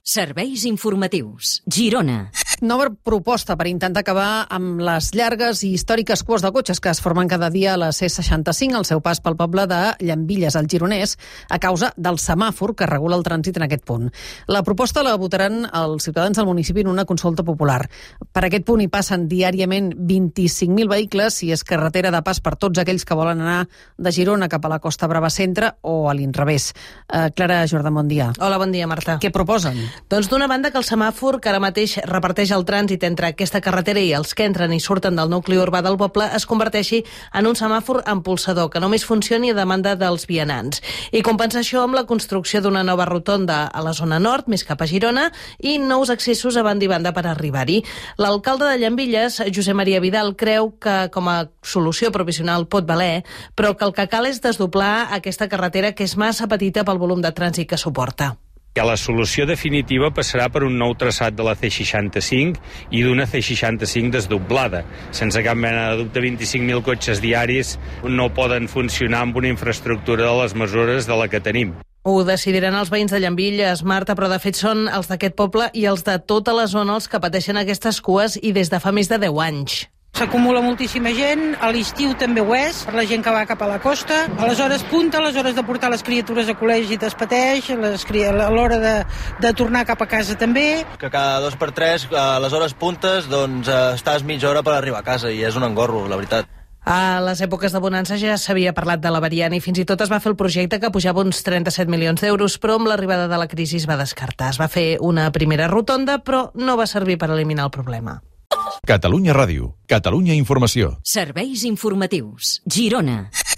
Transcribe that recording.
Serveis informatius. Girona. Nova proposta per intentar acabar amb les llargues i històriques cues de cotxes que es formen cada dia a la C65 al seu pas pel poble de Llambilles, al Gironès, a causa del semàfor que regula el trànsit en aquest punt. La proposta la votaran els ciutadans del municipi en una consulta popular. Per aquest punt hi passen diàriament 25.000 vehicles i és carretera de pas per tots aquells que volen anar de Girona cap a la Costa Brava Centre o a l'inrevés. Clara Jordà, bon dia. Hola, bon dia, Marta. Què proposen? Doncs d'una banda que el semàfor que ara mateix reparteix el trànsit entre aquesta carretera i els que entren i surten del nucli urbà del poble es converteixi en un semàfor empolsador que només funcioni a demanda dels vianants. I compensa això amb la construcció d'una nova rotonda a la zona nord, més cap a Girona, i nous accessos a banda i banda per arribar-hi. L'alcalde de Llambilles, Josep Maria Vidal, creu que com a solució provisional pot valer, però que el que cal és desdoblar aquesta carretera que és massa petita pel volum de trànsit que suporta. La solució definitiva passarà per un nou traçat de la C65 i d'una C65 desdoblada. Sense cap mena de dubte, 25.000 cotxes diaris no poden funcionar amb una infraestructura de les mesures de la que tenim. Ho decidiran els veïns de Llambilles, Marta, però de fet són els d'aquest poble i els de tota la zona els que pateixen aquestes cues i des de fa més de 10 anys. S'acumula moltíssima gent, a l'estiu també ho és, per la gent que va cap a la costa. A les hores punta, a les hores de portar les criatures a col·legi es pateix, a l'hora de tornar cap a casa també. Que cada 2 per 3, a les hores puntes, doncs estàs mitja hora per arribar a casa i és un engorro, la veritat. A les èpoques de bonança ja s'havia parlat de la variant i fins i tot es va fer el projecte que pujava uns 37 milions d'euros, però amb l'arribada de la crisi es va descartar. Es va fer una primera rotonda, però no va servir per eliminar el problema. Catalunya Ràdio, Catalunya Informació. Serveis informatius. Girona.